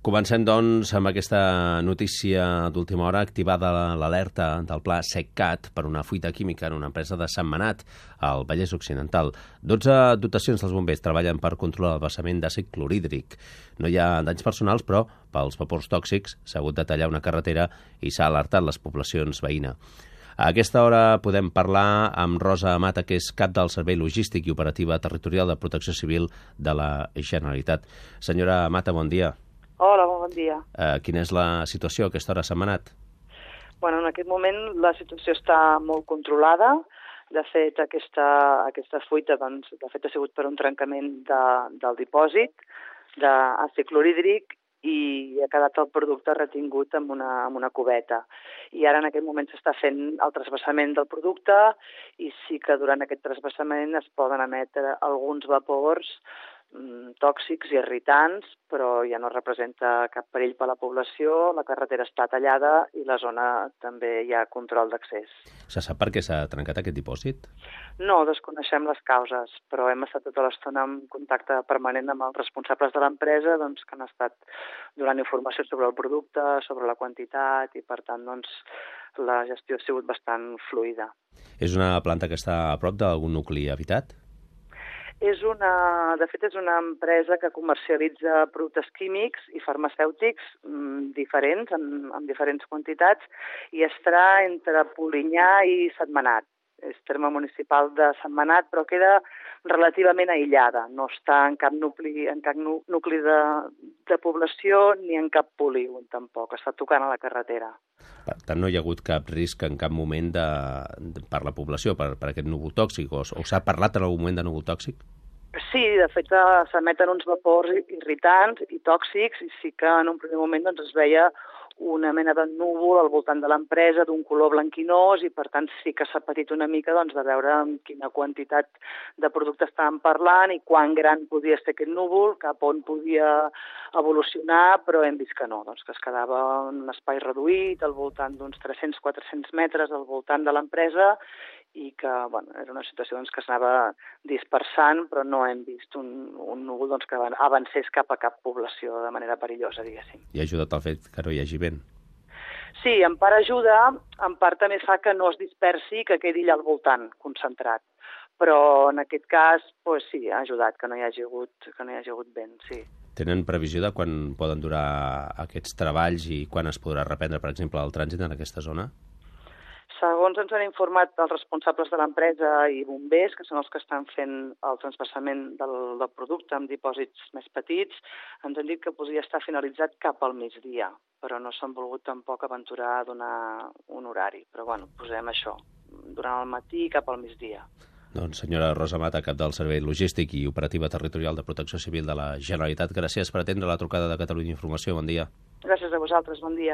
Comencem, doncs, amb aquesta notícia d'última hora, activada l'alerta del pla SecCat per una fuita química en una empresa de Sentmenat, al Vallès Occidental. 12 dotacions dels bombers treballen per controlar el vessament d'àcid clorhídric. No hi ha danys personals, però pels vapors tòxics s'ha hagut de tallar una carretera i s'ha alertat les poblacions veïnes. A aquesta hora podem parlar amb Rosa Mata, que és cap del Servei Logístic i Operativa Territorial de Protecció Civil de la Generalitat. Senyora Mata, bon dia. Hola, bon dia. Quina és la situació a aquesta hora a Sentmenat? Bueno, en aquest moment la situació està molt controlada. De fet, aquesta fuita doncs, ha sigut per un trencament del dipòsit d'àcid clorhídric i ha quedat el producte retingut amb una cubeta. I ara en aquest moment s'està fent el trasbassament del producte i sí que durant aquest trasbassament es poden emetre alguns vapors tòxics i irritants, però ja no representa cap perill per a la població, la carretera està tallada i la zona també hi ha control d'accés. Se sap per què s'ha trencat aquest dipòsit? No, desconeixem les causes, però hem estat tota l'estona en contacte permanent amb els responsables de l'empresa, doncs, que han estat donant informació sobre el producte, sobre la quantitat, i per tant doncs, la gestió ha sigut bastant fluida. És una planta que està a prop d'algun nucli habitat? De fet, és una empresa que comercialitza productes químics i farmacèutics diferents, en diferents quantitats, i estarà entre Polinyà i Sentmenat. És terme municipal de Sentmenat, però queda relativament aïllada. No està en cap nucli de població ni en cap polígon, tampoc. Està tocant a la carretera. Per tant, no hi ha hagut cap risc en cap moment per la població, per aquest núvol tòxic? O s'ha parlat en algun moment de núvol tòxic? Sí, de fet s'emeten uns vapors irritants i tòxics i sí que en un primer moment doncs, es veia una mena de núvol al voltant de l'empresa d'un color blanquinós i per tant sí que s'ha patit una mica doncs, de veure amb quina quantitat de producte estàvem parlant i quan gran podia ser aquest núvol, cap on podia evolucionar, però hem vist que no, doncs, que es quedava en un espai reduït al voltant d'uns 300-400 metres al voltant de l'empresa i que bueno, era una situació doncs, que s'anava dispersant, però no hem vist un núvol doncs, que avancés cap a cap població de manera perillosa, diguéssim. I ha ajudat el fet que no hi hagi vent? Sí, en part ajuda, en part també fa que no es dispersi i que quedi allà al voltant, concentrat. Però en aquest cas, doncs, sí, ha ajudat que no hi hagi hagut vent, sí. Tenen previsió de quan poden durar aquests treballs i quan es podrà reprendre, per exemple, el trànsit en aquesta zona? Segons ens han informat els responsables de l'empresa i bombers, que són els que estan fent el transvassament del producte amb dipòsits més petits, ens han dit que podria estar finalitzat cap al migdia, però no s'han volgut tampoc aventurar a donar un horari. Però bueno, posem això, durant el matí cap al migdia. Doncs senyora Rosa Mata, cap del Servei Logístic i Operativa Territorial de Protecció Civil de la Generalitat, gràcies per atendre la trucada de Catalunya Informació. Bon dia. Gràcies a vosaltres, bon dia.